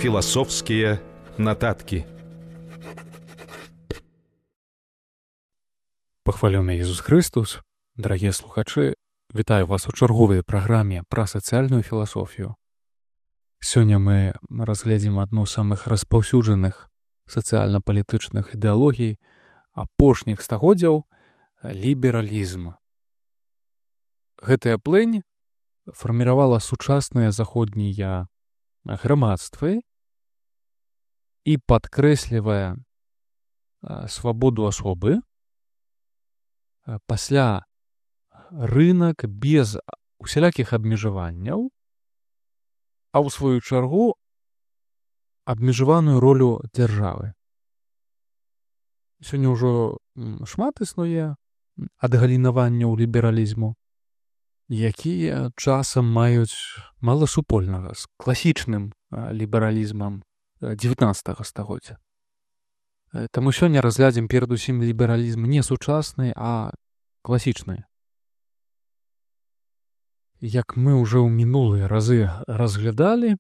Філасофскія нататкі. Пахвалёны Ісус Христос, дарагія слухачы, вітаю вас у чарговай праграме пра сацыяльную філасофію. Сёння мы разгледзім адну з самых распаўсюджаных сацыяльна-палітычных ідэалогій апошніх стагоддзяў — лібералізм. Гэтая плынь фарміравала сучасныя заходнія грамадствы і падкрэслівае свабоду асобы. Пасля рынак без усялякіх абмежаванняў, а ў сваю чаргу абмежаваную ролю дзяржавы. Сёння ўжо шмат існуе адгалінаванняў лібералізму, якія часам маюць мала супольнага з класічным лібералізмам XIX стагоддзя. Таму сёння разглядзім перадусім лібералізм не сучасны, а класічны. Як мы ўжо ў мінулыя разы разглядалі,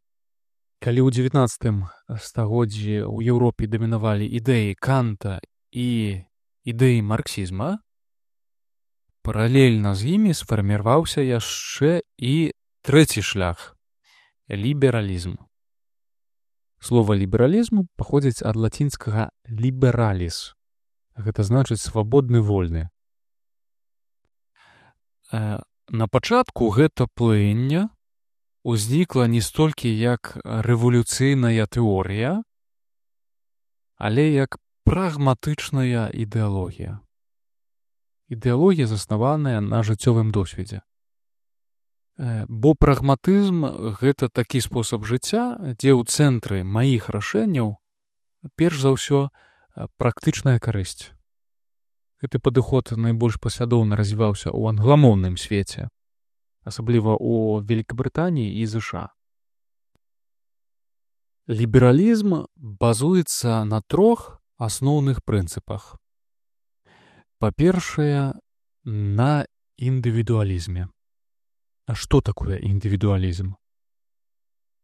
калі ў XIX стагоддзі ў Еўропе дамінавалі ідэі Канта і ідэі марксізма, паралельна з імі сфарміраваўся яшчэ і трэці шлях — лібералізм. Слова лібералізм паходзіць ад лацінскага liberalis. Гэта значыць свабодны, вольны. На пачатку гэта плыння ўзнікла не столькі як рэвалюцыйная тэорыя, але як прагматычная ідэалогія. Ідэалогія, заснаваная на жыццёвым досведзе. Бо прагматызм — гэта такі спосаб жыцця, дзе ў цэнтры маіх рашэнняў перш за ўсё практычная карысць. Гэты падыход найбольш паслядоўна развіваўся ў англамоўным свеце, асабліва ў Вялікабрытаніі і ЗША. Лібералізм базуецца на трох асноўных прынцыпах. Па-першае, на індывідуалізме. А што такое індывідуалізм?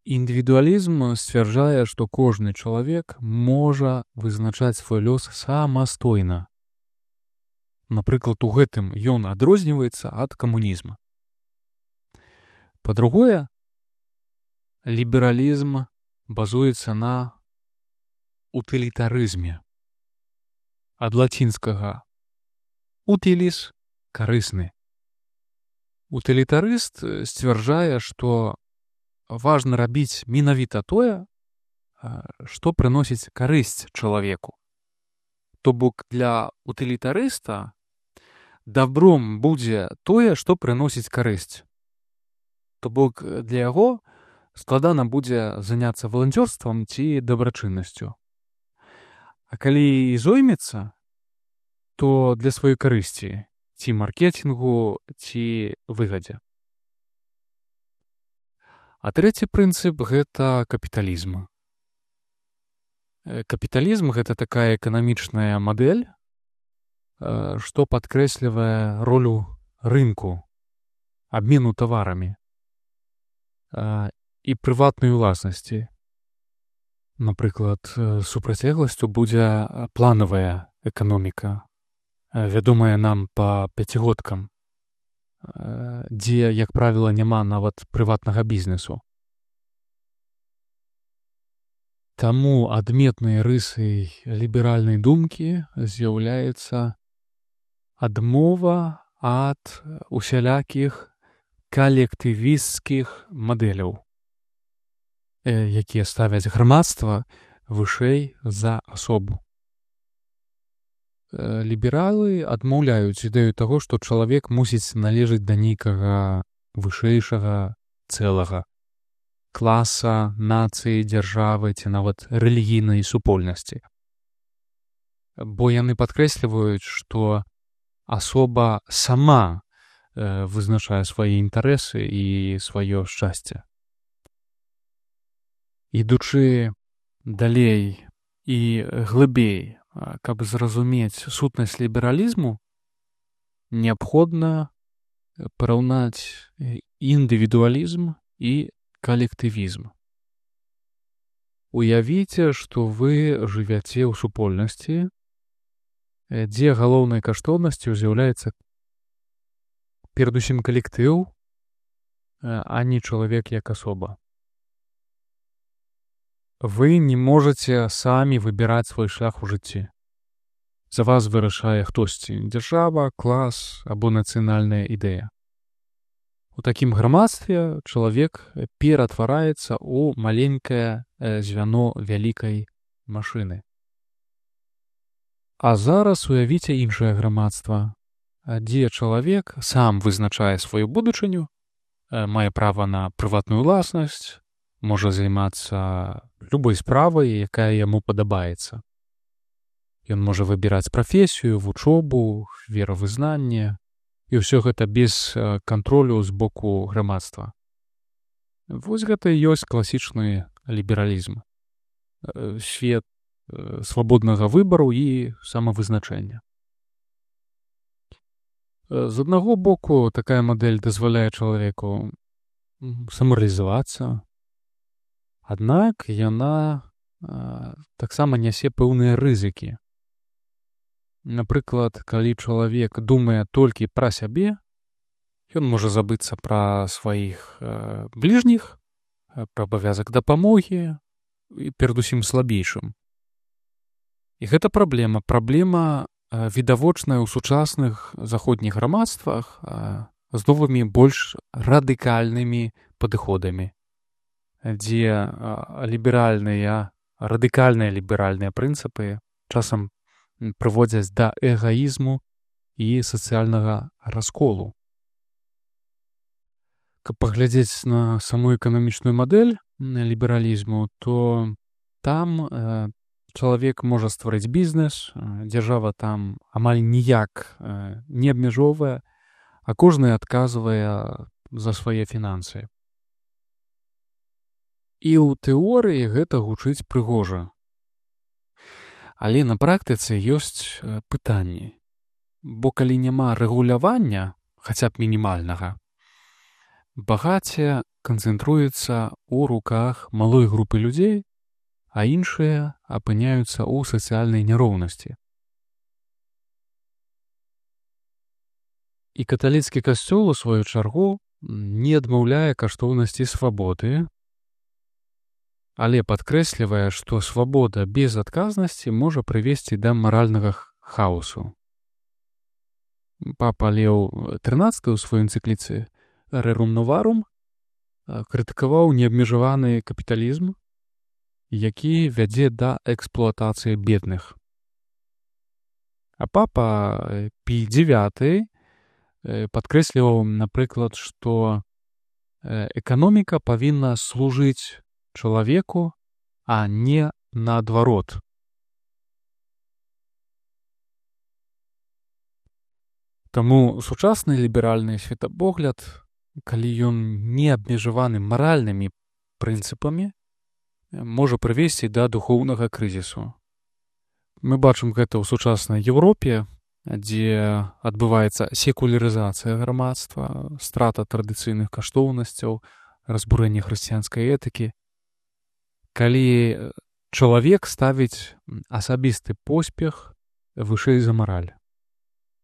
Індывідуалізм сцвярджае, што кожны чалавек можа вызначаць свой лёс самастойна. Напрыклад, у гэтым ён адрозніваецца ад камунізма. Па-другое, лібералізм базуецца на утылітарызме. Ад лацінскага «utilis» — карысны. Утылітарыст сцвярджае, што важна рабіць менавіта тое, што прыносіць карысць чалавеку. То бок для утылітарыста дабром будзе тое, што прыносіць карысць. То бок для яго складана будзе заняцца валанцёрствам ці дабрачыннасцю. А калі і зоймецца, то для сваёй карысці, ці маркетингу, ці выгадзе. А трэці прынцып — гэта капіталізм. Капіталізм — гэта такая эканамічная мадэль, што падкрэслівае ролю рынку, абмену таварамі і прыватнай уласнасці. Напрыклад, супрацьлегласцю будзе планавая эканоміка, вядомая нам па пяцігодкам, дзе, як правіла, няма нават прыватнага бізнесу. Таму адметнай рысай ліберальнай думкі з'яўляецца адмова ад усялякіх калектывісцкіх мадэляў, якія ставяць грамадства вышэй за асобу. Лібералы адмаўляюць ідэю таго, што чалавек мусіць належаць да нейкага вышэйшага цэлага, класа, нацыі, дзяржавы ці нават рэлігійнай супольнасці. Бо яны падкрэсліваюць, што асоба сама вызначае свае інтарэсы і сваё шчасце. Ідучы далей і глыбей, каб зразумець сутнасць лібералізму, неабходна параўнаць індывідуалізм і калектывізм. Уявіце, што вы жывяце ў супольнасці, дзе галоўнай каштоўнасцю з'яўляецца перадусім калектыў, а не чалавек як асоба. Вы не можаце самі выбіраць свой шлях у жыцці. За вас вырашае хтосьці — дзяржава, клас або нацыянальная ідэя. У такім грамадстве чалавек ператвараецца ў маленькае звяно вялікай машыны. А зараз уявіце іншае грамадства, дзе чалавек сам вызначае сваю будучыню, мае права на прыватную ўласнасць, можа займацца любой справай, якая яму падабаецца. Ён можа выбіраць прафесію, вучобу, веравызнанне, і ўсё гэта без кантролю з боку грамадства. Вось гэта і ёсць класічны лібералізм. Свет свабоднага выбару і самавызначэння. З аднаго боку, такая мадэль дазваляе чалавеку самарэалізавацца, аднак яна таксама нясе пэўныя рызыкі. Напрыклад, калі чалавек думае толькі пра сябе, ён можа забыцца пра сваіх бліжніх, пра абавязак дапамогі і перадусім слабейшым. І гэта праблема. Праблема відавочная ў сучасных заходніх грамадствах з новымі больш радыкальнымі падыходамі, дзе радыкальныя ліберальныя прынцыпы часам прыводзяць да эгаізму і сацыяльнага расколу. Каб паглядзець на саму эканамічную мадэль лібералізму, то там чалавек можа стварыць бізнес, дзяржава там амаль ніяк не абмяжоўвае, а кожны адказвае за свае фінансы. І ў тэорыі гэта гучыць прыгожа. Але на практыцы ёсць пытанні. Бо калі няма рэгулявання, хаця б мінімальнага, багацце канцэнтруецца ў руках малой групы людзей, а іншыя апыняюцца ў сацыяльнай няроўнасці. І каталіцкі касцёл, у сваю чаргу, не адмаўляе каштоўнасці свабоды, але падкрэслівае, што свабода без адказнасці можа прывесці да маральнага хаосу. Папа Леў XIII ў сваёй энцыкліцы «Rerum Novarum» крытыкаваў неабмежаваны капіталізм, які вядзе да эксплуатацыі бедных. А папа Пій IX падкрэсліваў, напрыклад, што эканоміка павінна служыць чалавеку, а не наадварот. Таму сучасны ліберальны светапогляд, калі ён не абмежаваны маральнымі прынцыпамі, можа прывесці да духоўнага крызісу. Мы бачым гэта ў сучаснай Еўропе, дзе адбываецца секулярызацыя грамадства, страта традыцыйных каштоўнасцяў, разбурэнне хрысціянскай этыкі. Калі чалавек ставіць асабісты поспех вышэй за мараль.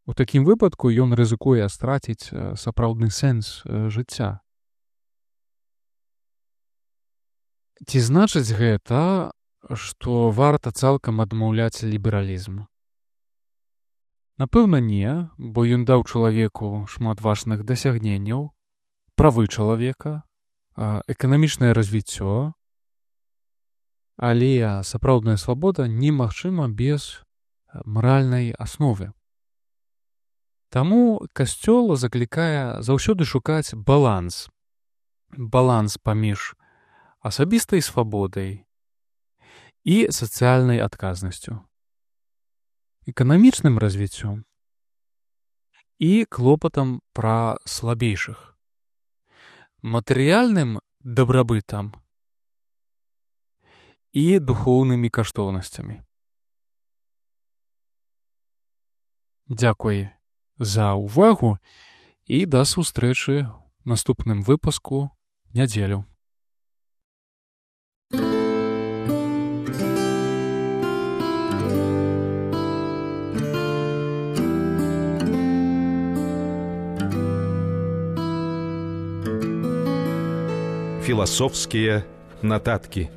У такім выпадку ён рызыкуе страціць сапраўдны сэнс жыцця. Ці значыць гэта, што варта цалкам адмаўляць лібералізм? Напэўна, не, бо ён даў чалавеку шмат важных дасягненняў, правы чалавека, эканамічнае развіццё, але сапраўдная свабода немагчыма без маральнай асновы. Таму касцёл заклікае заўсёды шукаць баланс. Баланс паміж асабістай свабодай і сацыяльнай адказнасцю, эканамічным развіццём і клопатам пра слабейшых, матэрыяльным дабрабытам і духоўнымі каштоўнасцямі. Дзякуй за ўвагу і да сустрэчы ў наступным выпуску нядзелю. Философские нотатки.